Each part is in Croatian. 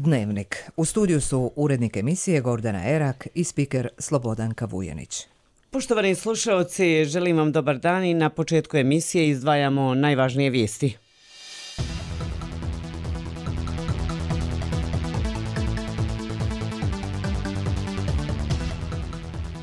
Dnevnik. U studiju su urednik emisije Gordana Erak i spiker Slobodanka Vujanić. Poštovani slušaoci, želim vam dobar dan i na početku emisije izdvajamo najvažnije vijesti.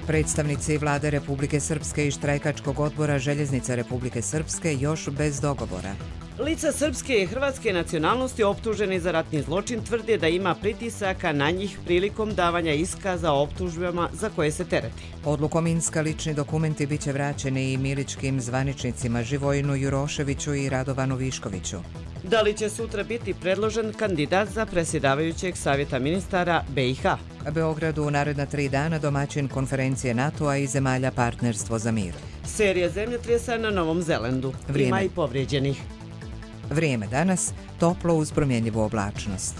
Predstavnici Vlade Republike Srpske i štrajkačkog odbora Željeznica Republike Srpske još bez dogovora. Lica srpske i hrvatske nacionalnosti optuženi za ratni zločin tvrde da ima pritisaka na njih prilikom davanja iskaza o optužbama za koje se tereti. Odlukom Minska lični dokumenti biće vraćeni i miličkim zvaničnicima Živojinu Juroševiću i Radovanu Viškoviću. Da li će sutra biti predložen kandidat za predsjedavajućeg savjeta ministara BiH? Beogradu u naredna 3 dana domaćin konferencije NATO-a i zemalja Partnerstvo za mir. Serija zemljotresa na Novom Zelandu. Ima i povrijeđenih. Vrijeme danas, toplo uz promjenjivu oblačnost.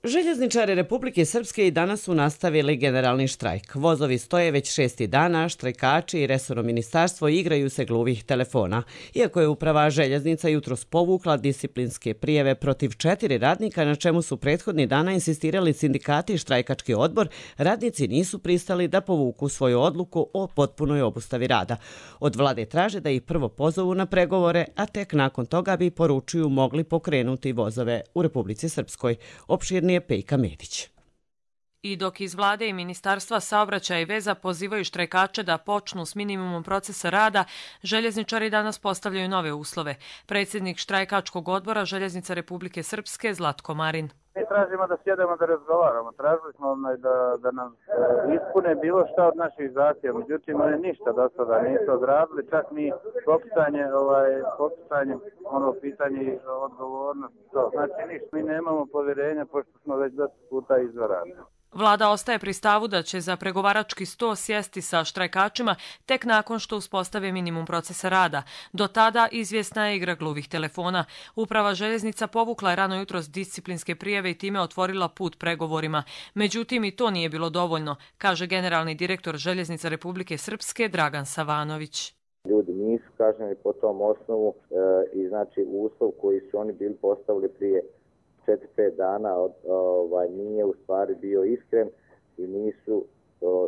Željezničari Republike Srpske i danas su nastavili generalni štrajk. Vozovi stoje već 6. dana, štrajkači i resorno ministarstvo igraju se gluvih telefona. Iako je uprava željeznica jutros povukla disciplinske prijave protiv 4 radnika, na čemu su prethodni dana insistirali sindikati i štrajkački odbor, radnici nisu pristali da povuku svoju odluku o potpunoj obustavi rada. Od vlade traže da ih prvo pozovu na pregovore, a tek nakon toga bi, poručuju, mogli pokrenuti vozove u Republici Srpskoj. Opširnije Pejka Medić. I dok iz vlade i Ministarstva saobraćaja i veza pozivaju štrajkače da počnu s minimumom procesa rada, željezničari danas postavljaju nove uslove. Predsjednik štrajkačkog odbora Željeznica Republike Srpske Zlatko Marin. Mi tražimo da sjedemo da razgovaramo. Tražili smo da nam ispune bilo šta od naših zahtjeva. Međutim, oni ništa do sada nisu odradili, čak ni popisanje pitanje i odgovornost. Znači ništa, mi nemamo povjerenja pošto smo već dosta puta izvarali. Vlada ostaje pri stavu da će za pregovarački sto sjesti sa štrajkačima tek nakon što uspostave minimum procesa rada. Do tada izvjesna je igra gluvih telefona. Uprava željeznica povukla je rano jutros disciplinske prijave i time otvorila put pregovorima. Međutim, i to nije bilo dovoljno, kaže generalni direktor Željeznica Republike Srpske Dragan Savanović. Ljudi nisu kažnjeni po tom osnovu i znači uslov koji su oni bili postavili prije 4-5 dana nije u stvari bio iskren i nisu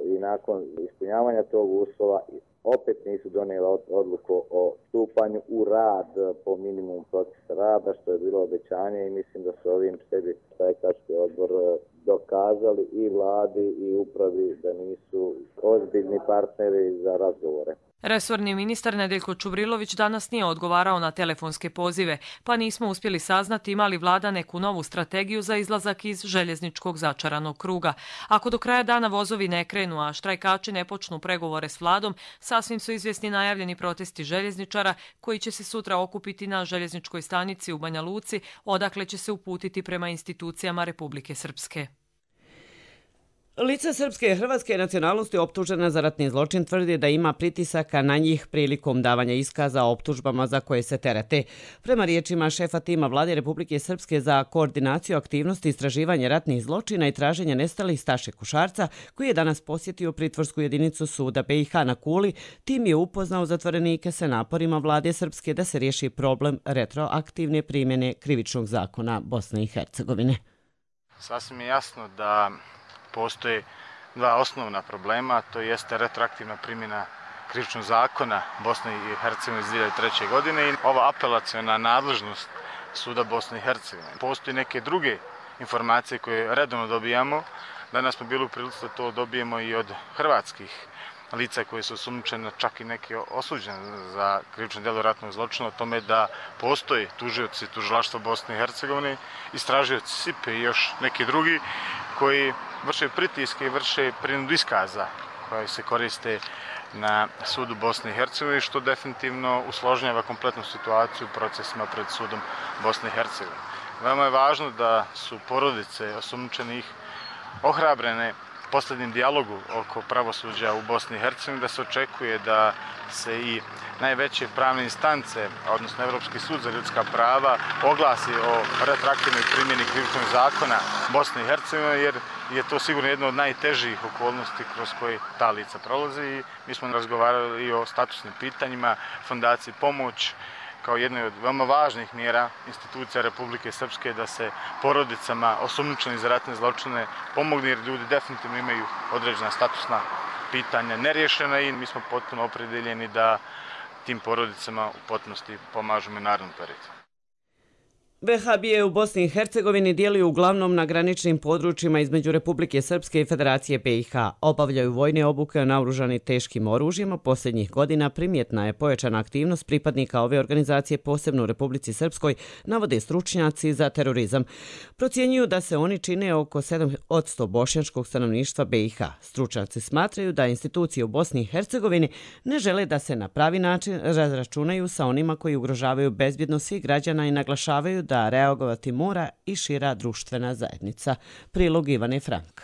i nakon ispunjavanja tog uslova opet nisu donijeli odluku o stupanju u rad po minimumu procesa rada, što je bilo obećanje i mislim da su ovim sebi štrajkački odbor dokazali i vladi i upravi da nisu ozbiljni partneri za razgovore. Resorni ministar Nedeljko Čubrilović danas nije odgovarao na telefonske pozive, pa nismo uspjeli saznati ima li vlada neku novu strategiju za izlazak iz željezničkog začaranog kruga. Ako do kraja dana vozovi ne krenu, a štrajkači ne počnu pregovore s vladom, sasvim su izvjesni najavljeni protesti željezničara koji će se sutra okupiti na željezničkoj stanici u Banja Luci, odakle će se uputiti prema institucijama Republike Srpske. Lica srpske i hrvatske nacionalnosti optužena za ratni zločin tvrdi da ima pritisaka na njih prilikom davanja iskaza o optužbama za koje se terete. Prema riječima šefa tima Vlade Republike Srpske za koordinaciju aktivnosti istraživanja ratnih zločina i traženja nestalih Staše Kušarca, koji je danas posjetio pritvorsku jedinicu suda BiH na Kuli, tim je upoznao zatvorenike sa naporima Vlade Srpske da se riješi problem retroaktivne primjene krivičnog zakona Bosne i Hercegovine. Sasvim je jasno da postoje dva osnovna problema, to jeste retroaktivna primjena krivičnog zakona Bosne i Hercegovine iz 2003. godine i ova apelaciona nadležnost suda Bosne i Hercegovine. Postoje neke druge informacije koje redovno dobijamo. Danas smo bili u prilici da to dobijemo i od hrvatskih lica koji su osumnjičeni, čak i neki osuđeni za krivično djelo ratnog zločina, o tome da postoje tužioci tužilaštva Bosne i Hercegovine, istražioci SIP-e i još neki drugi koji vrše pritiske i vrše prinudu iskaza koje se koriste na sudu Bosne i Hercegovine, što definitivno usložnjava kompletnu situaciju u procesima pred sudom Bosne i Hercegovine. Veoma je važno da su porodice osumnjičenih ohrabrene posljednjem dijalogu oko pravosuđa u Bosni i Hercegovini, da se očekuje da se i najveće pravne instance, odnosno Evropski sud za ljudska prava, oglasi o retroaktivnoj primjeni krivičnog zakona Bosne i Hercegovine, jer je to sigurno jedno od najtežih okolnosti kroz koje ta lica prolazi. I mi smo razgovarali i o statusnim pitanjima, fondaciji Pomoć kao jednoj od veoma važnih mjera institucija Republike Srpske da se porodicama osumnjičenih za ratne zločine pomogne, jer ljudi definitivno imaju određena statusna pitanja nerješena i mi smo potpuno opredeljeni da tim porodicama u potpunosti pomažemo i narednom periodu. Vehabije u Bosni i Hercegovini djeluju uglavnom na graničnim područjima između Republike Srpske i Federacije BiH. Obavljaju vojne obuke naoružani teškim oružjima. Posljednjih godina primjetna je pojačana aktivnost pripadnika ove organizacije, posebno u Republici Srpskoj, navode stručnjaci za terorizam. Procjenjuju da se oni čine oko 7% bošnjačkog stanovništva BiH. Stručnjaci smatraju da institucije u Bosni i Hercegovini ne žele da se na pravi način razračunaju sa onima koji ugrožavaju bezbjednost svih građana i naglašavaju da reagovati mora i šira društvena zajednica. Prilog Ivane Frank.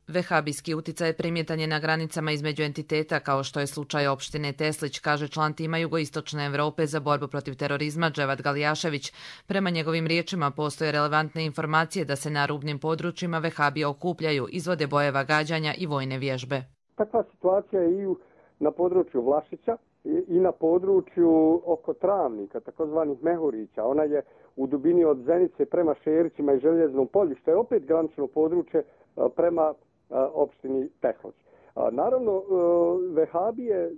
Vehabijski uticaj primjetan je na granicama između entiteta, kao što je slučaj opštine Teslić, kaže član tima Jugoistočne Evrope za borbu protiv terorizma Dževad Galijašević. Prema njegovim riječima postoje relevantne informacije da se na rubnim područjima Vehabije okupljaju, izvode bojeva gađanja i vojne vježbe. Takva situacija je i na području Vlašića i na području oko Travnika, takozvanih Mehurića. Ona je u dubini od Zenice prema Šerićima i Željeznom polju, što je opet granično područje prema opštini Tehloć. Naravno, Vehabije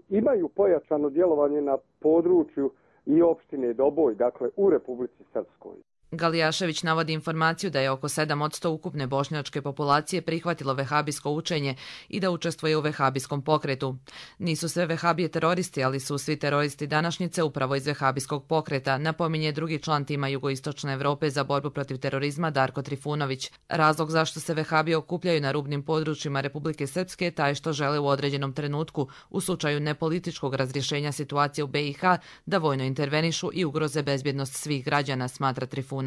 imaju pojačano djelovanje na području i opštine Doboj, dakle u Republici Srpskoj. Galijašević navodi informaciju da je oko 7% ukupne bošnjačke populacije prihvatilo vehabijsko učenje i da učestvuje u vehabijskom pokretu. Nisu sve Vehabije teroristi, ali su svi teroristi današnjice upravo iz vehabijskog pokreta, napominje drugi član tima Jugoistočne Evrope za borbu protiv terorizma Darko Trifunović. Razlog zašto se Vehabije okupljaju na rubnim područjima Republike Srpske je taj što žele u određenom trenutku, u slučaju nepolitičkog razrješenja situacije u BiH, da vojno intervenišu i ugroze bezbjednost svih građana, smatra Trifunović.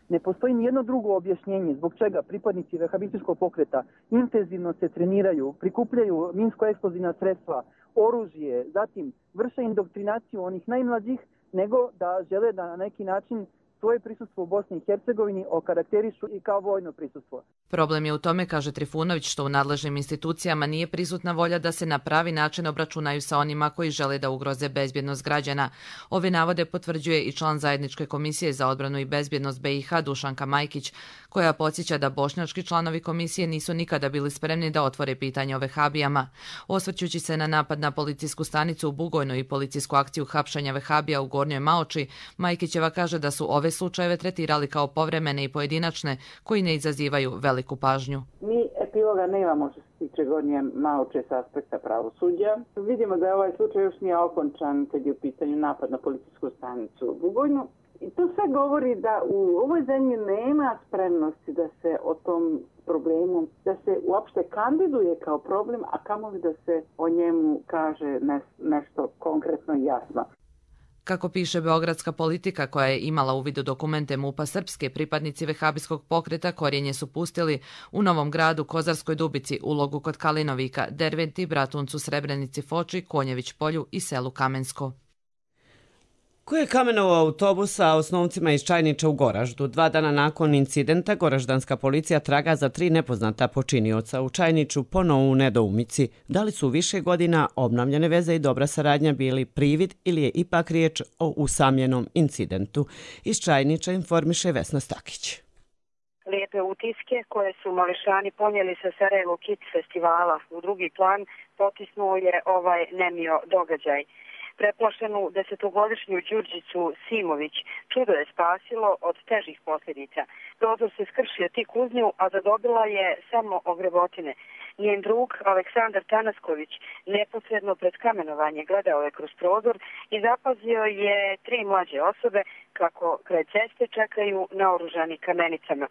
Ne postoji nijedno drugo objašnjenje zbog čega pripadnici vehabističkog pokreta intenzivno se treniraju, prikupljaju minsko-eksplozivna sredstva, oružje, zatim vrše indoktrinaciju onih najmlađih, nego da žele da na neki način svoje prisustvo u Bosni i Hercegovini okarakterišu i kao vojno prisustvo. Problem je u tome, kaže Trifunović, što u nadležnim institucijama nije prisutna volja da se na pravi način obračunaju sa onima koji žele da ugroze bezbjednost građana. Ove navode potvrđuje i član Zajedničke komisije za odbranu i bezbjednost BiH Dušanka Majkić, koja podsjeća da bošnjački članovi komisije nisu nikada bili spremni da otvore pitanje o Vehabijama. Osvrćući se na napad na policijsku stanicu u Bugojnu i policijsku akciju hapšanja Vehabija u Gornjoj Maoči, Majkićeva kaže da su ove slučajeve tretirali kao povremene i pojedinačne, koji ne izazivaju veliku pažnju. Mi epiloga nemamo što se tiče Gornje Maoče sa aspekta pravosuđa. Vidimo da ovaj slučaj još nije okončan kad je u pitanju napad na policijsku stanicu u Bugojnu. I to sve govori da u ovoj zemlji nema spremnosti da se o tom problemu, da se uopšte kandiduje kao problem, a kamoli da se o njemu kaže nešto konkretno i jasno. Kako piše beogradska politika koja je imala uvid u dokumente MUP-a Srpske, pripadnici vehabijskog pokreta korijenje su pustili u Novom Gradu, Kozarskoj Dubici, Ulogu kod Kalinovika, Derventi, Bratuncu, Srebrenici, Foči, Konjević polju i selu Kamensko. Ko je kamenovao autobus sa osnovcima iz Čajniča u Goraždu? 2 dana nakon incidenta goraždanska policija traga za 3 nepoznata počinioca. U Čajniču ponovo u nedoumici. Da li su više godina obnavljane veze i dobra saradnja bili privid ili je ipak riječ o usamljenom incidentu? Iz Čajniča informiše Vesna Stakić. Lijepe utiske koje su mališani ponijeli sa Sarajevo Kids festivala u drugi plan potisnuo je ovaj nemio događaj. Preplašenu 10-godišnju Đurđicu Simović čudo je spasilo od težih posljedica. Prozor se skršio tik uz nju, a zadobila je samo ogrebotine. Njen drug, Aleksandar Tanasković, neposredno pred kamenovanje gledao je kroz prozor i zapazio je 3 mlađe osobe kako kraj ceste čekaju naoružani kamenicama.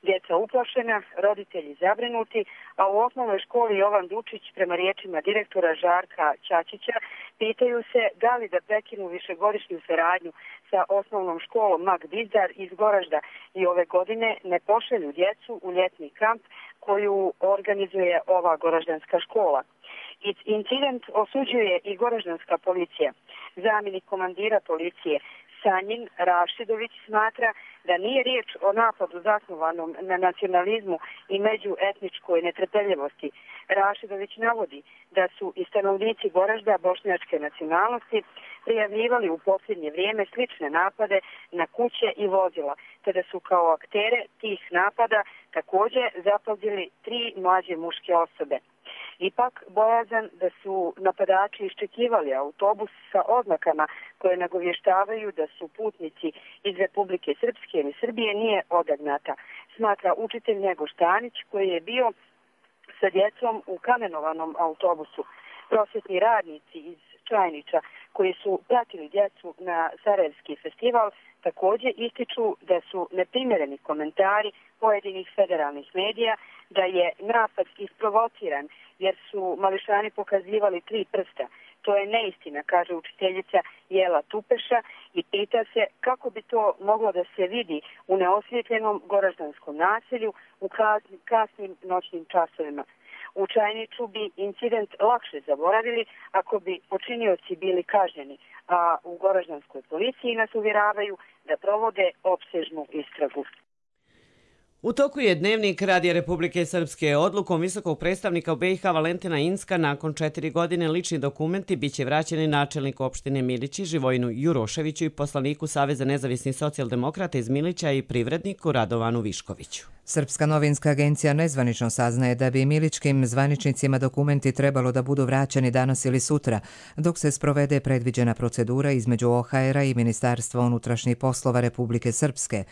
Djeca uplašena, roditelji zabrinuti, a u osnovnoj školi Jovan Dučić, prema riječima direktora Žarka Ćačića, pitaju se da li da prekinu višegodišnju saradnju sa osnovnom školom Mag Dizdar iz Goražda i ove godine ne pošalju djecu u ljetni kamp koju organizuje ova goraždanska škola. Incident osuđuje i goraždanska policija. Zamjenik komandira policije Sanjin Rašidović smatra da nije riječ o napadu zasnovanom na nacionalizmu i međuetničkoj netrpeljivosti. Rašidović navodi da su i stanovnici Goražda bošnjačke nacionalnosti, prijavljivali u posljednje vrijeme slične napade na kuće i vozila, te da su kao aktere tih napada također zapazili 3 mlađe muške osobe. Ipak, bojazan da su napadači iščekivali autobus sa oznakama koje nagovještavaju da su putnici iz Republike Srpske ili Srbije nije odagnata, smatra učitelj Njegoš Tanić koji je bio sa djecom u kamenovanom autobusu. Prosvjetni radnici iz Čajnića koji su pratili djecu na Sarajevski festival također ističu da su neprimjereni komentari pojedinih federalnih medija da je napad isprovociran jer su mališani pokazivali 3 prsta. To je neistina, kaže učiteljica Jela Tupeša i pita se kako bi to moglo da se vidi u neosvjetljenom goraždanskom naselju u kasnim noćnim časovima. U Čajniću bi incident lakše zaboravili ako bi počinioci bili kažnjeni, a u goraždanskoj policiji nas uvjeravaju da provode opsežnu istragu. U toku je Dnevnik Radija Republike Srpske. Odlukom visokog predstavnika u BiH Valentina Incka nakon 4 godine lični dokumenti biće vraćeni načelniku opštine Milići Živojinu Juroševiću i poslaniku Saveza nezavisnih socijaldemokrata iz Milića i privredniku Radovanu Viškoviću. Srpska novinska agencija nezvanično saznaje da bi miličkim zvaničnicima dokumenti trebalo da budu vraćeni danas ili sutra, dok se sprovede predviđena procedura između OHR-a i Ministarstva unutrašnjih poslova Republike Srpske.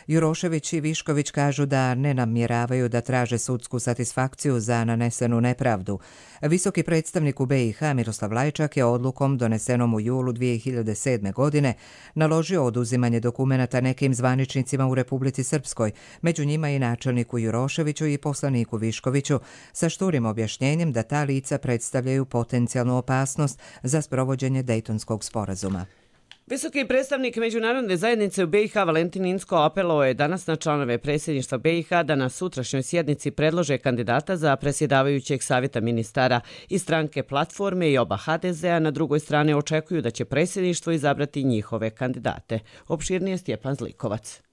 Jurošević i Višković kažu da ne namjeravaju da traže sudsku satisfakciju za nanesenu nepravdu. Visoki predstavnik u BiH Miroslav Lajčak je odlukom donesenom u julu 2007. godine naložio oduzimanje dokumenata nekim zvaničnicima u Republici Srpskoj, među njima i načelniku Juroševiću i poslaniku Viškoviću, sa šturim objašnjenjem da ta lica predstavljaju potencijalnu opasnost za sprovođenje Dejtonskog sporazuma. Visoki predstavnik međunarodne zajednice u BiH Valentin Incko apelovao je danas na članove predsjedništva BiH da na sutrašnjoj sjednici predlože kandidata za predsjedavajućeg savjeta ministara i stranke Platforme i oba HDZ-a na drugoj strani očekuju da će predsjedništvo izabrati njihove kandidate. Opširnije Stjepan Zlikovac.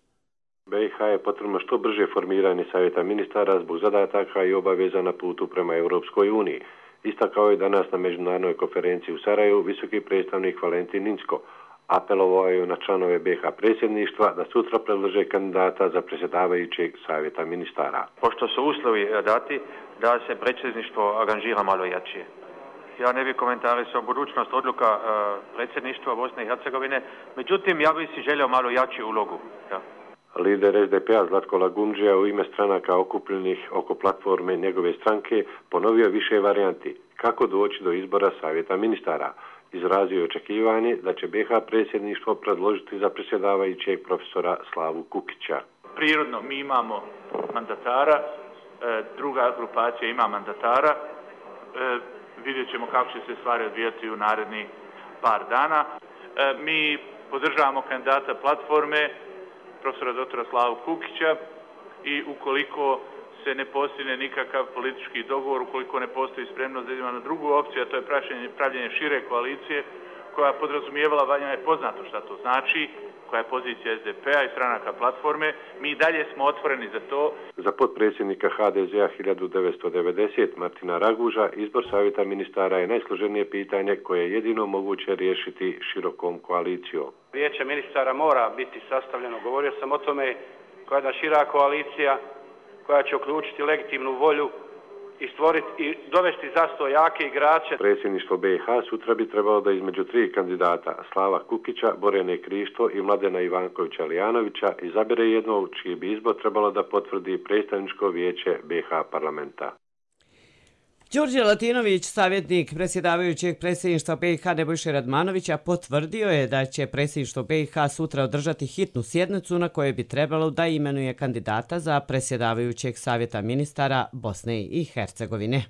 BiH je potrebno što brže formiranje savjeta ministara zbog zadataka i obaveza na putu prema Europskoj uniji. Istakao je danas na međunarodnoj konferenciji u Sarajevu visoki predstavnik Valentin Incko. Apelovao je na članove BiH predsjedništva da sutra predlože kandidata za predsjedavajućeg savjeta ministara. Pošto su uslovi dati da se predsjedništvo angažira malo jače. Ja ne bih komentarisao budućnost odluka predsjedništva Bosne i Hercegovine, međutim ja bih si želio malo jaču ulogu. Ja. Lider SDP-a Zlatko Lagumdžija u ime stranaka okupljenih oko Platforme njegove stranke ponovio više varijanti kako doći do izbora savjeta ministara. Izrazio je očekivanje da će BiH predsjedništvo predložiti za predsjedavajućeg profesora Slavu Kukića. Prirodno mi imamo mandatara, druga grupacija ima mandatara, vidjet ćemo kako će se stvari odvijati u naredni par dana. Mi podržavamo kandidata Platforme, profesora doktora Slavu Kukića i ukoliko se ne postigne nikakav politički dogovor, ukoliko ne postoji spremnost da idemo na drugu opciju, a to je pravljenje šire koalicije koja podrazumijevala, vanja je poznato šta to znači, koja je pozicija SDP-a i stranaka Platforme. Mi dalje smo otvoreni za to. Za potpredsjednika HDZ-a 1990 Martina Raguža izbor savjeta ministara je najsloženije pitanje koje je jedino moguće riješiti širokom koalicijom. Vijeće ministara mora biti sastavljeno, govorio sam o tome, koja je jedna šira koalicija koja će uključiti legitimnu volju i stvoriti i dovesti zastoj jake igrače. Predsjedništvo BiH sutra bi trebalo da između 3 kandidata Slava Kukića, Borjane Krišto i Mladena Ivankovića Lijanovića izabere jednog čiji bi izbor trebalo da potvrdi predstavničko vijeće BiH parlamenta. Đorđe Latinović, savjetnik predsjedavajućeg predsjedništva BiH Nebojše Radmanovića, potvrdio je da će predsjedništvo BiH sutra održati hitnu sjednicu na kojoj bi trebalo da imenuje kandidata za predsjedavajućeg savjeta ministara Bosne i Hercegovine.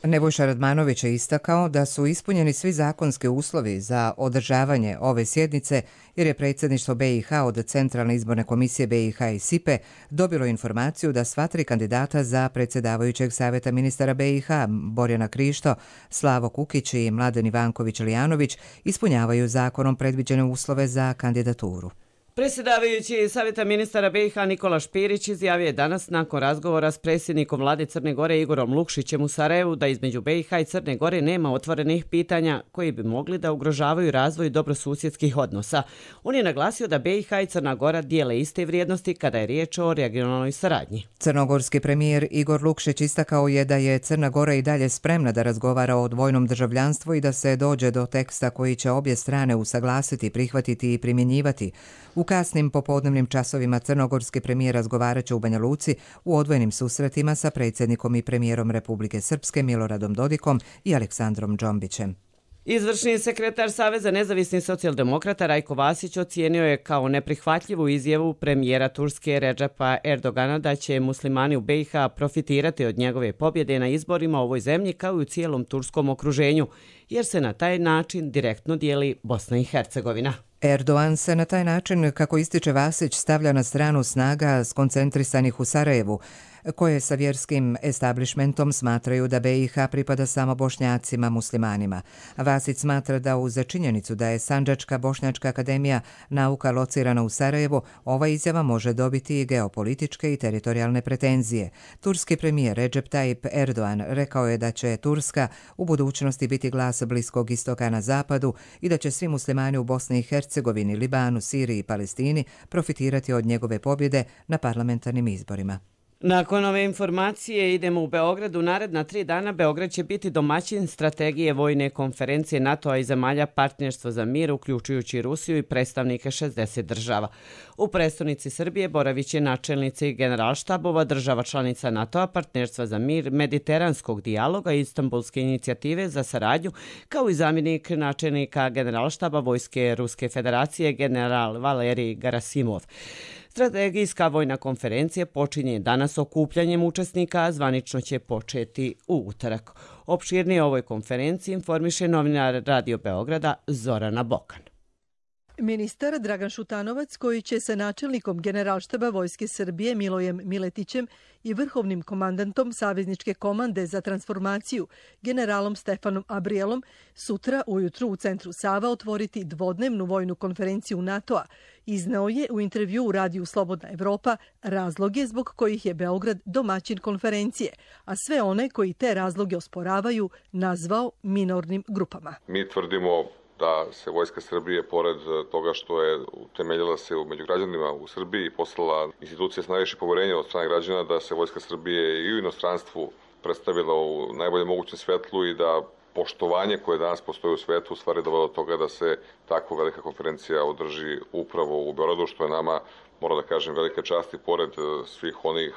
Nebojša Radmanović je istakao da su ispunjeni svi zakonski uslovi za održavanje ove sjednice jer je predsjedništvo BiH od Centralne izborne komisije BiH i SIPE dobilo informaciju da sva 3 kandidata za predsjedavajućeg savjeta ministara BiH Borjana Krišto, Slavo Kukić i Mladen Ivanković Lijanović ispunjavaju zakonom predviđene uslove za kandidaturu. Predsjedavajući Savjeta ministara BiH Nikola Špirić izjavio je danas nakon razgovora s predsjednikom vlade Crne Gore Igorom Lukšićem u Sarajevu da između BiH i Crne Gore nema otvorenih pitanja koji bi mogli da ugrožavaju razvoj dobrosusjedskih odnosa. On je naglasio da BiH i Crna Gora dijele iste vrijednosti kada je riječ o regionalnoj saradnji. Crnogorski premijer Igor Lukšić istakao je da je Crna Gora i dalje spremna da razgovara o dvojnom državljanstvu i da se dođe do teksta koji će obje strane usaglasiti, prihvatiti i primjenjivati. U kasnim popodnevnim časovima crnogorski premijer razgovarat će u Banja Luci u odvojenim susretima sa predsjednikom i premijerom Republike Srpske Miloradom Dodikom i Aleksandrom Džombićem. Izvršni sekretar Saveza nezavisnih socijaldemokrata Rajko Vasić ocijenio je kao neprihvatljivu izjavu premijera Turske Redžepa Erdogana da će muslimani u BiH profitirati od njegove pobjede na izborima u ovoj zemlji kao i u cijelom turskom okruženju, jer se na taj način direktno dijeli Bosna i Hercegovina. Erdogan se na taj način, kako ističe Vasić, stavlja na stranu snaga skoncentrisanih u Sarajevu, koje sa vjerskim establishmentom smatraju da BiH pripada samo Bošnjacima muslimanima. Vasić smatra da uz činjenicu da je Sandžačka Bošnjačka akademija nauka locirana u Sarajevu, ova izjava može dobiti i geopolitičke i teritorijalne pretenzije. Turski premijer Recep Tayyip Erdogan rekao je da će Turska u budućnosti biti glas Bliskog istoka na zapadu i da će svi muslimani u Bosni i Hercegovini, Libanu, Siriji i Palestini profitirati od njegove pobjede na parlamentarnim izborima. Nakon ove informacije idemo u Beograd. U naredna 3 dana Beograd će biti domaćin strategije vojne konferencije NATO-a i zemalja Partnerstva za mir, uključujući Rusiju i predstavnike 60 država. U prestonici Srbije boravit će načelnici generalštabova država članica NATO-a, Partnerstva za mir, Mediteranskog dijaloga i Istanbulske inicijative za saradnju, kao i zamjenik načelnika generalštaba Vojske Ruske federacije general Valerij Gerasimov. Strategijska vojna konferencija počinje danas okupljanjem učesnika, a zvanično će početi u utorak. Opširnije o ovoj konferenciji informiše novinar Radio Beograda Zorana Bokan. Ministar Dragan Šutanovac, koji će sa načelnikom Generalštaba Vojske Srbije Milojem Miletićem i vrhovnim komandantom Savezničke komande za transformaciju generalom Stefanom Abrielom sutra ujutru u centru Sava otvoriti dvodnevnu vojnu konferenciju NATO-a, izneo je u intervju u radiju Slobodna Evropa razloge zbog kojih je Beograd domaćin konferencije, a sve one koji te razloge osporavaju nazvao minornim grupama. Mi tvrdimo da se Vojska Srbije, pored toga što je utemeljila se među građanima u Srbiji i poslala institucije s najviše poverenja od strane građana, da se Vojska Srbije i u inostranstvu predstavila u najboljem mogućem svetlu i da poštovanje koje danas postoji u svetu u stvari dovelo do toga da se takva velika konferencija održi upravo u Beogradu, što je nama, moram da kažem, velika čast i pored svih onih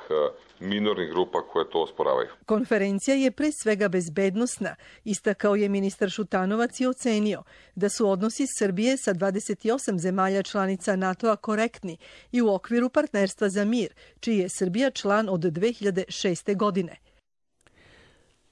minornih grupa koje to osporavaju. Konferencija je pre svega bezbednosna, istakao je ministar Šutanovac i ocenio da su odnosi Srbije sa 28 zemalja članica NATO-a korektni i u okviru Partnerstva za mir, čiji je Srbija član od 2006. godine.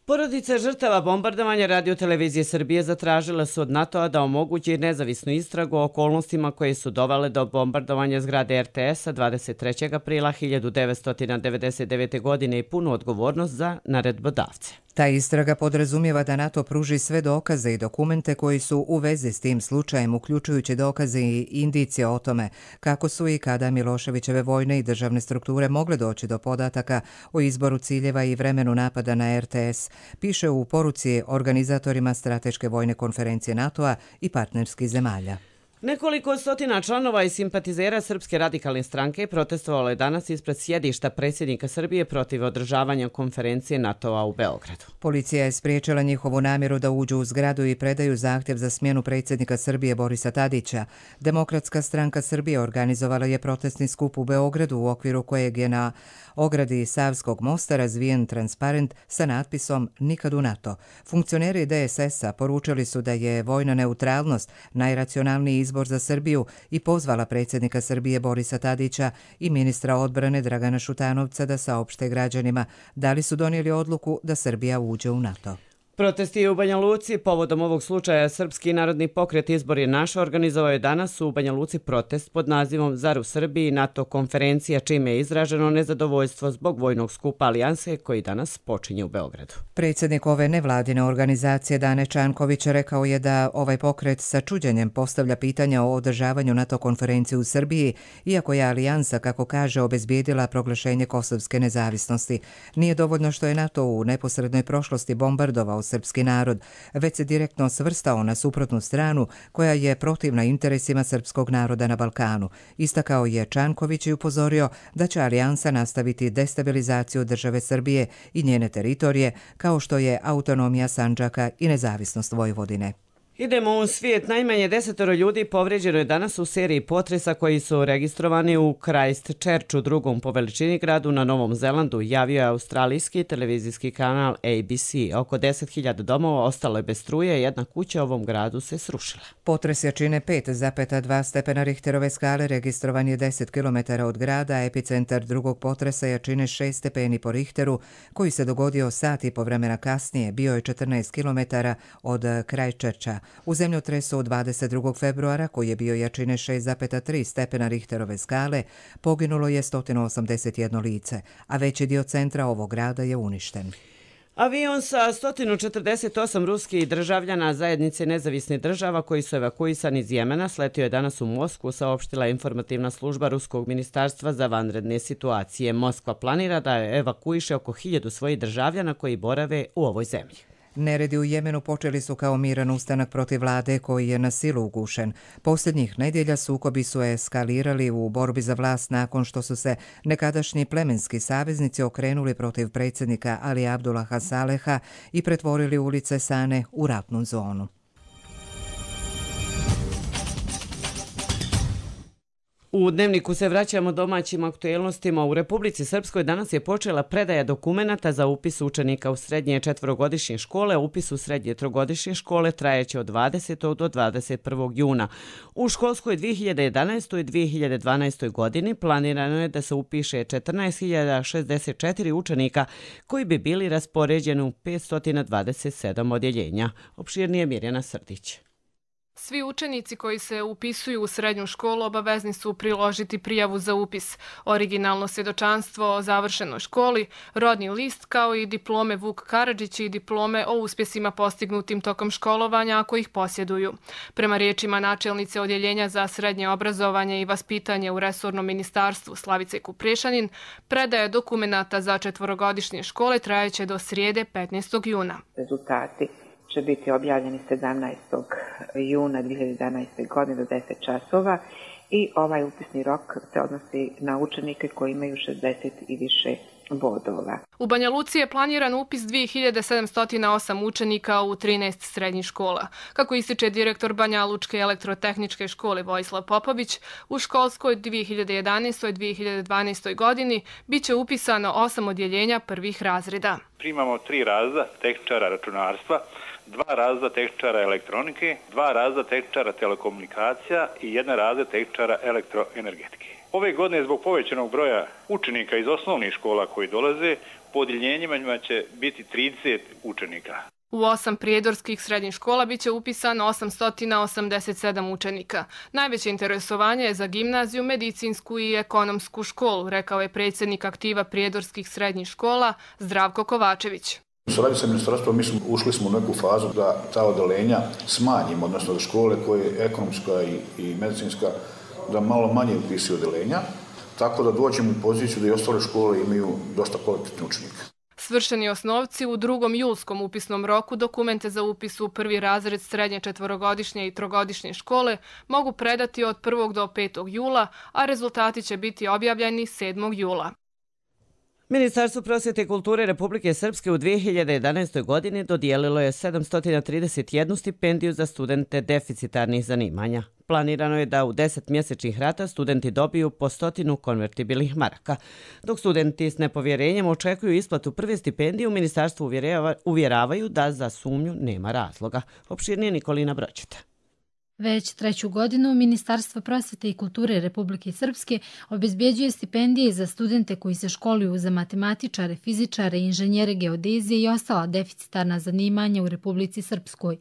Porodice žrtava bombardovanja Radio-televizije Srbije zatražile su od NATO-a da omogući nezavisnu istragu o okolnostima koje su dovele do bombardovanja zgrade RTS-a 23. aprila 1999. godine i punu odgovornost za naredbodavce. Ta istraga podrazumijeva da NATO pruži sve dokaze i dokumente koji su u vezi s tim slučajem, uključujući dokaze i indicije o tome kako su i kada Miloševićeve vojne i državne strukture mogle doći do podataka o izboru ciljeva i vremenu napada na RTS, piše u poruci organizatorima Strateške vojne konferencije NATO-a i partnerskih zemalja. Nekoliko stotina članova i simpatizera Srpske radikalne stranke protestovalo je danas ispred sjedišta predsjednika Srbije protiv održavanja konferencije NATO-a u Beogradu. Policija je spriječila njihovu namjeru da uđu u zgradu i predaju zahtjev za smjenu predsjednika Srbije Borisa Tadića. Demokratska stranka Srbije organizovala je protestni skup u Beogradu u okviru kojeg je na ogradi Savskog mosta razvijen transparent sa natpisom Nikad u NATO. Funkcioneri DSS-a poručili su da je vojna neutralnost najracionalniji izbor za Srbiju i pozvala predsjednika Srbije Borisa Tadića i ministra odbrane Dragana Šutanovca da saopšte građanima da li su donijeli odluku da Srbija uđe u NATO. Protesti u Banja Luci povodom ovog slučaja Srpski narodni pokret Izbor je naš organizovao je danas u Banja Luci protest pod nazivom Zar u Srbiji NATO konferencija, čime je izraženo nezadovoljstvo zbog vojnog skupa Alijanse koji danas počinje u Beogradu. Predsjednik ove nevladine organizacije Dane Čanković rekao je da ovaj pokret sa čuđenjem postavlja pitanja o održavanju NATO konferencije u Srbiji, iako je Alijansa, kako kaže, obezbijedila proglašenje kosovske nezavisnosti. Nije dovoljno što je NATO u neposrednoj prošlosti bombardovao srpski narod, već se direktno svrstao na suprotnu stranu koja je protivna interesima srpskog naroda na Balkanu. Istakao je Čanković i upozorio da će Alijansa nastaviti destabilizaciju države Srbije i njene teritorije, kao što je autonomija Sandžaka i nezavisnost Vojvodine. Idemo u svijet. Najmanje 10 ljudi povrijeđeno je danas u seriji potresa koji su registrovani u Christchurchu, drugom po veličini gradu na Novom Zelandu, javio je australijski televizijski kanal ABC. Oko 10.000 domova ostalo je bez struje, jedna kuća u ovom gradu se srušila. Potres jačine 5,2 stepena Richterove skale registrovan je 10 km od grada, epicentar drugog potresa jačine 6 stepeni po Richteru, koji se dogodio sat i po vremena kasnije, bio je 14 km od Christchurcha. U zemljotresu od 22. februara, koji je bio jačine 6,3 stepena Richterove skale, poginulo je 181 lice, a veći dio centra ovog grada je uništen. Avion sa 148 ruskih državljana zajednice nezavisnih država koji su evakuisani iz Jemena sletio je danas u Moskvu, saopštila informativna služba Ruskog ministarstva za vanredne situacije. Moskva planira da evakuiše oko 1000 svojih državljana koji borave u ovoj zemlji. Neredi u Jemenu počeli su kao miran ustanak protiv vlade koji je na silu ugušen. Posljednjih nedjelja sukobi su eskalirali u borbi za vlast nakon što su se nekadašnji plemenski saveznici okrenuli protiv predsjednika Ali Abdullaha Saleha i pretvorili ulice Sane u ratnu zonu. U Dnevniku se vraćamo domaćim aktuelnostima. U Republici Srpskoj danas je počela predaja dokumenata za upis učenika u srednje četverogodišnje škole. Upis u srednje trogodišnje škole trajeće od 20. do 21. juna. U školskoj 2011. i 2012. godini planirano je da se upiše 14.064 učenika koji bi bili raspoređeni u 527 odjeljenja. Opširnije Mirjana Srdić. Svi učenici koji se upisuju u srednju školu obavezni su priložiti prijavu za upis, originalno svjedočanstvo o završenoj školi, rodni list kao i diplome Vuk Karadžić i diplome o uspjesima postignutim tokom školovanja ako ih posjeduju. Prema riječima načelnice Odjeljenja za srednje obrazovanje i vaspitanje u resornom ministarstvu Slavice Kuprešanin, predaja dokumenata za četverogodišnje škole trajeće do srijede 15. juna. Rezultati će biti objavljeni 17. juna 2011. godine do 10 časova i ovaj upisni rok se odnosi na učenike koji imaju 60 i više bodova. U Banja Luci je planiran upis 2708 učenika u 13 srednjih škola. Kako ističe direktor Banja Lučke elektrotehničke škole Vojislav Popović, u školskoj 2011. i 2012. godini bit će upisano 8 odjeljenja prvih razreda. Primamo 3 razreda tehničara računarstva, 2 razreda tehničara elektronike, 2 razreda tehničara telekomunikacija i 1 razred tehničara elektroenergetike. Ove godine zbog povećanog broja učenika iz osnovnih škola koji dolaze, po odjeljenjima će biti 30 učenika. U 8 prijedorskih srednjih škola bit će upisano 887 učenika. Najveće interesovanje je za gimnaziju, medicinsku i ekonomsku školu, rekao je predsjednik aktiva prijedorskih srednjih škola Zdravko Kovačević. U saradnji sa ministarstvom ušli smo u neku fazu da ta odeljenja smanjimo, odnosno da škole koje je ekonomska i medicinska da malo manje upisuju odeljenja, tako da dođemo u poziciju da i ostale škole imaju dosta kvalitetnih učenika. Svršeni osnovci u 2. julskom upisnom roku dokumente za upis u prvi razred srednje četverogodišnje i trogodišnje škole mogu predati od 1. do 5. jula, a rezultati će biti objavljeni 7. jula. Ministarstvo prosvjete i kulture Republike Srpske u 2011. godini dodijelilo je 731 stipendiju za studente deficitarnih zanimanja. Planirano je da u 10 mjesečnih rata studenti dobiju po 100 konvertibilnih maraka. Dok studenti s nepovjerenjem očekuju isplatu prve stipendije, u ministarstvu uvjeravaju da za sumnju nema razloga. Opširnije Nikolina Bročeta. Već treću godinu Ministarstvo prosvete i kulture Republike Srpske obezbjeđuje stipendije za studente koji se školuju za matematičare, fizičare, inženjere geodezije i ostala deficitarna zanimanja u Republici Srpskoj.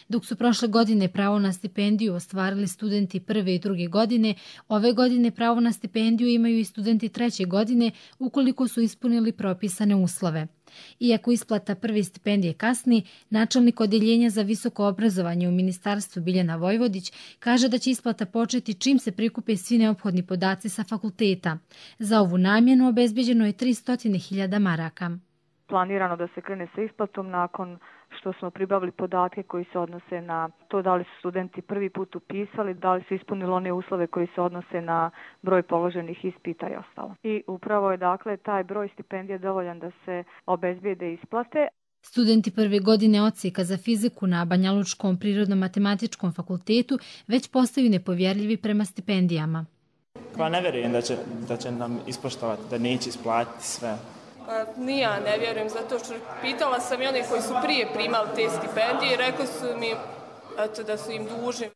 Dok su prošle godine pravo na stipendiju ostvarili studenti prve i druge godine, ove godine pravo na stipendiju imaju i studenti treće godine ukoliko su ispunili propisane uslove. Iako isplata prve stipendije kasni, načelnik Odeljenja za visoko obrazovanje u Ministarstvu Biljana Vojvodić kaže da će isplata početi čim se prikupe svi neophodni podaci sa fakulteta. Za ovu namjenu obezbeđeno je 300.000 maraka. Planirano da se krene sa isplatom nakon što smo pribavili podatke koji se odnose na to da li su studenti prvi put upisali, da li su ispunili one uslove koji se odnose na broj položenih ispita i ostalo. I upravo je dakle taj broj stipendija dovoljan da se obezbijede isplate. Studenti prve godine odsjeka za fiziku na Banjalučkom prirodno-matematičkom fakultetu već postaju nepovjerljivi prema stipendijama. Pa ne vjerujem da će nam ispoštovati, da neće isplatiti sve. Ni ja ne vjerujem, zato što pitala sam i one koji su prije primali te stipendije i rekli su mi da su im dužni.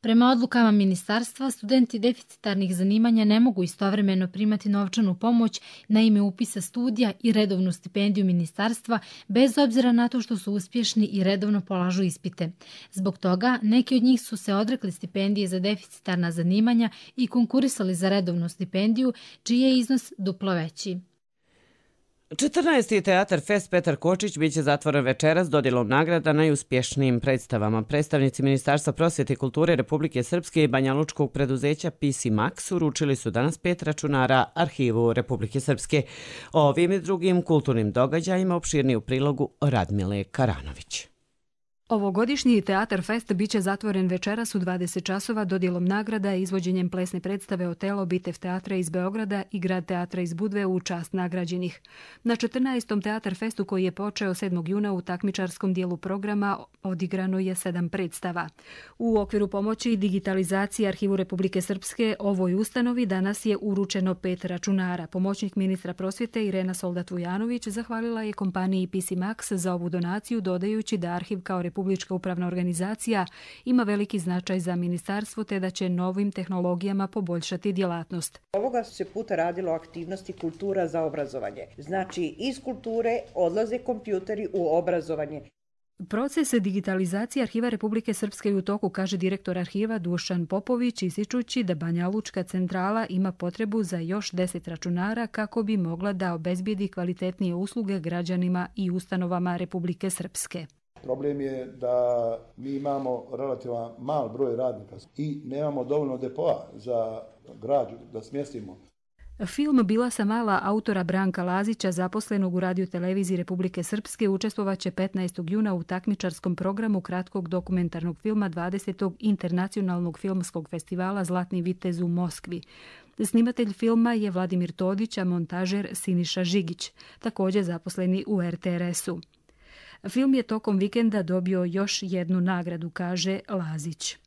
Prema odlukama ministarstva, studenti deficitarnih zanimanja ne mogu istovremeno primati novčanu pomoć na ime upisa studija i redovnu stipendiju ministarstva, bez obzira na to što su uspješni i redovno polažu ispite. Zbog toga, neki od njih su se odrekli stipendije za deficitarna zanimanja i konkurisali za redovnu stipendiju, čiji je iznos duplo veći. 14. Teatar Fest Petar Kočić biće zatvoren večeras dodjelom nagrada najuspješnijim predstavama. Predstavnici Ministarstva prosvjete i kulture Republike Srpske i banjalučkog preduzeća PC Max uručili su danas 5 računara Arhivu Republike Srpske. O ovim i drugim kulturnim događajima opširniji u prilogu Radmile Karanović. Ovogodišnji Teatar Fest biće zatvoren večeras u 20 časova dodjelom nagrada i izvođenjem plesne predstave Otelo Bitev teatra iz Beograda i Grad teatra iz Budve u čast nagrađenih. Na 14. Teatar Festu koji je počeo 7. juna u takmičarskom dijelu programa odigrano je 7 predstava. U okviru pomoći digitalizacije Arhivu Republike Srpske ovoj ustanovi danas je uručeno 5 računara. Pomoćnik ministra prosvjete Irena Soldat-Vujanović zahvalila je kompaniji PC Max za ovu donaciju, dodajući da arhiv kao Republička upravna organizacija ima veliki značaj za ministarstvo te da će novim tehnologijama poboljšati djelatnost. Ovoga se puta radilo aktivnosti kultura za obrazovanje. Znači iz kulture odlaze kompjuteri u obrazovanje. Proces digitalizacije Arhiva Republike Srpske u toku, kaže direktor arhiva Dušan Popović, ističući da Banja Lučka centrala ima potrebu za još 10 računara kako bi mogla da obezbijedi kvalitetnije usluge građanima i ustanovama Republike Srpske. Problem je da mi imamo relativan mal broj radnika i nemamo dovoljno depoa za građu da smjestimo. Film Bila sam mala autora Branka Lazića, zaposlenog u radioteleviziji Republike Srpske, učestvovaće 15. juna u takmičarskom programu kratkog dokumentarnog filma 20. Internacionalnog filmskog festivala Zlatni vitez u Moskvi. Snimatelj filma je Vladimir Todić, a montažer Siniša Žigić, također zaposleni u RTRS-u. Film je tokom vikenda dobio još jednu nagradu, kaže Lazić.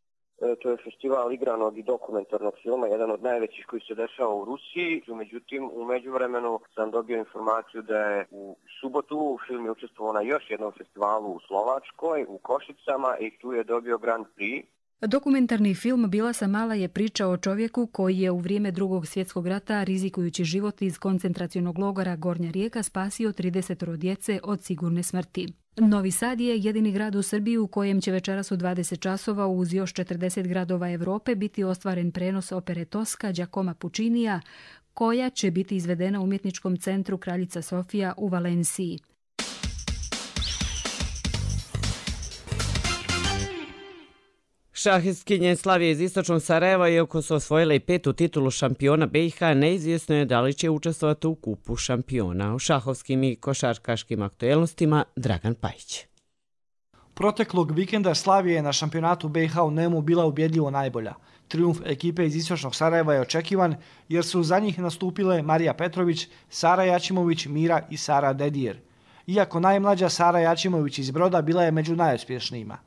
To je festival igranog i dokumentarnog filma, jedan od najvećih koji se dešava u Rusiji. Međutim, u međuvremenu sam dobio informaciju da je u subotu film je učestvovao na još jednom festivalu u Slovačkoj, u Košicama, i tu je dobio Grand Prix. Dokumentarni film Bila sam mala je priča o čovjeku koji je u vrijeme Drugog svjetskog rata, rizikujući život iz koncentracionog logora Gornja Rijeka, spasio 30 djece od sigurne smrti. Novi Sad je jedini grad u Srbiji u kojem će večeras u 20 časova uz još 40 gradova Evrope biti ostvaren prenos opere Toska Giacomo Puccinija, koja će biti izvedena u umjetničkom centru Kraljica Sofija u Valenciji. Šahistkinje Slavije iz istočnog Sarajeva, iako su osvojile i 5. titulu šampiona BiH, neizvjesno je da li će učestvovati u kupu šampiona. U šahovskim i košarkaškim aktuelnostima Dragan Pajić. Proteklog vikenda Slavija je na šampionatu BiH u Nemu bila ubjedljivo najbolja. Trijumf ekipe iz istočnog Sarajeva je očekivan jer su za njih nastupile Marija Petrović, Sara Jačimović, Mira i Sara Dedijer. Iako najmlađa Sara Jačimović iz Broda bila je među najuspješnijima.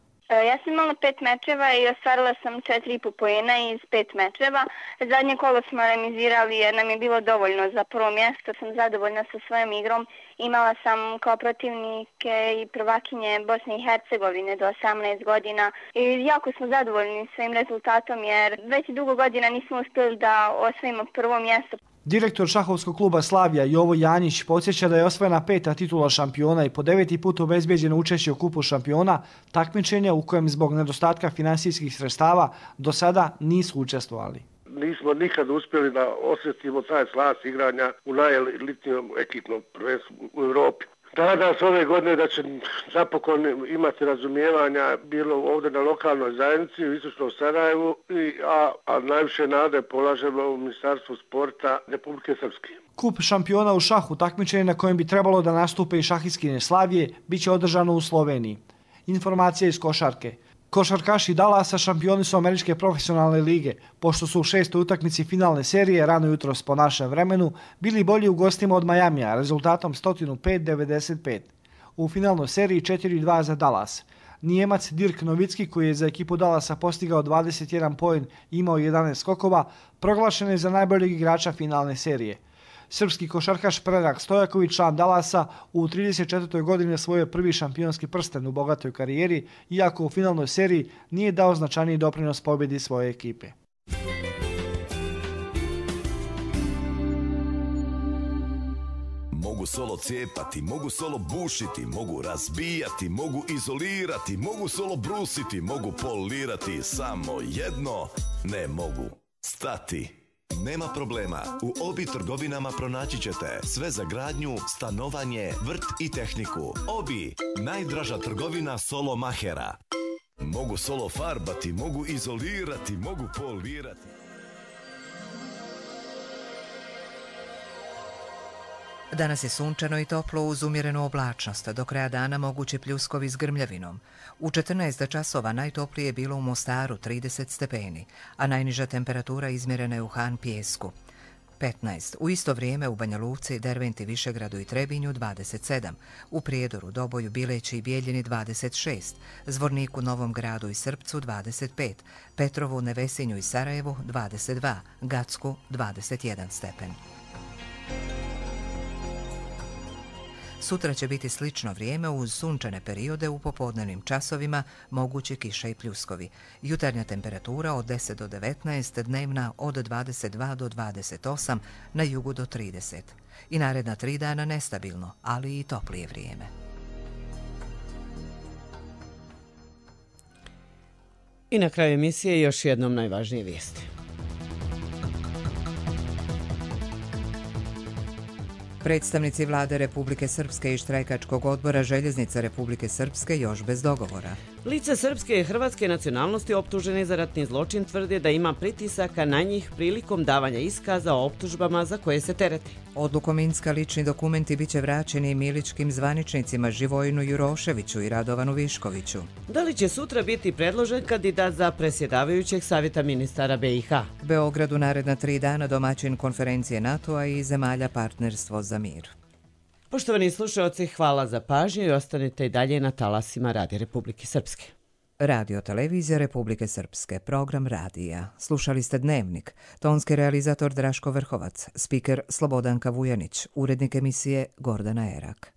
Ja sam imala 5 mečeva i ostvarila sam 4,5 poena iz 5 mečeva. Zadnje kolo smo remizirali jer nam je bilo dovoljno za prvo mjesto. Sam zadovoljna sa svojom igrom. Imala sam kao protivnike i prvakinje Bosne i Hercegovine do 18 godina. I jako smo zadovoljni svojim rezultatom jer već dugo godina nismo uspjeli da osvojimo prvo mjesto. Direktor šahovskog kluba Slavija Jovo Janjić podsjeća da je osvojena 5. titula šampiona i po 9. put obezbijeđeno učešće u kupu šampiona, takmičenja u kojem zbog nedostatka finansijskih sredstava do sada nisu učestvovali. Nismo nikad uspjeli da osjetimo taj slas igranja u najelitnijom ekipnom prvenstvu u Europi. Nadam se ove godine da će napokon imati razumijevanja bilo ovdje na lokalnoj zajednici u Istočnom Sarajevu, a najviše nade polažemo u Ministarstvu sporta Republike Srpske. Kup šampiona u šahu, takmičenje na kojem bi trebalo da nastupe i šahistkinje Slavije, bit će održano u Sloveniji. Informacija iz košarke. Košarkaši Dallasa šampioni su Američke profesionalne lige, pošto su u 6. utakmici finalne serije rano jutros po našem vremenu bili bolji u gostima od Majamija rezultatom 105-95. U finalnoj seriji 4-2 za Dallas. Nijemac Dirk Novicki, koji je za ekipu Dallasa postigao 21 poen i imao 11 skokova, proglašen je za najboljeg igrača finalne serije. Srpski košarkaš Predrag Stojaković, član Dallasa, u 34. godini osvojio prvi šampionski prsten u bogatoj karijeri, iako u finalnoj seriji nije dao značajniji doprinos pobjedi svoje ekipe. Mogu solo cijepati, mogu solo bušiti, mogu razbijati, mogu izolirati, mogu solo brusiti, mogu polirati, samo jedno ne mogu stati. Nema problema, u Obi trgovinama pronaći ćete sve za gradnju, stanovanje, vrt i tehniku. Obi, najdraža trgovina solo mahera. Mogu solo farbati, mogu izolirati, mogu polirati. Danas je sunčano i toplo uz umjerenu oblačnost, do kraja dana mogući pljuskovi s grmljavinom. U 14 časova najtoplije je bilo u Mostaru 30 stepeni, a najniža temperatura izmjerena je u Han Pijesku 15. U isto vrijeme u Banja Luci, Derventi, Višegradu i Trebinju 27, u Prijedoru, Doboju, Bileći i Bijeljini 26, Zvorniku, Novom Gradu i Srpcu 25, Petrovu, Nevesinju i Sarajevu 22, Gacku 21 stepen. Sutra će biti slično vrijeme uz sunčane periode u popodnevnim časovima, mogući kiša i pljuskovi. Jutarnja temperatura od 10 do 19, dnevna od 22 do 28, na jugu do 30. I naredna 3 dana nestabilno, ali i toplije vrijeme. I na kraju emisije još jednom najvažnije vijesti. Predstavnici vlade Republike Srpske i štrajkačkog odbora Željeznica Republike Srpske još bez dogovora. Lice srpske i hrvatske nacionalnosti optuženi za ratni zločin tvrde da ima pritisaka na njih prilikom davanja iskaza o optužbama za koje se tereti. Odlukom Minska lični dokumenti biće vraćeni miličkim zvaničnicima Živojinu Juroševiću i Radovanu Viškoviću. Da li će sutra biti predložen kandidat za predsjedavajućeg savjeta ministara BiH? Beogradu naredna 3 dana domaćin konferencije NATO-a i zemalja Partnerstvo za mir. Poštovani slušalci, hvala za pažnju i ostanite i dalje na talasima Radija Republike Srpske. Radio Televizija Republike Srpske, program radija. Slušali ste Dnevnik, tonski realizator Draško Vrhovac, spiker Slobodanka Vujanić, urednik emisije Gordana Erak.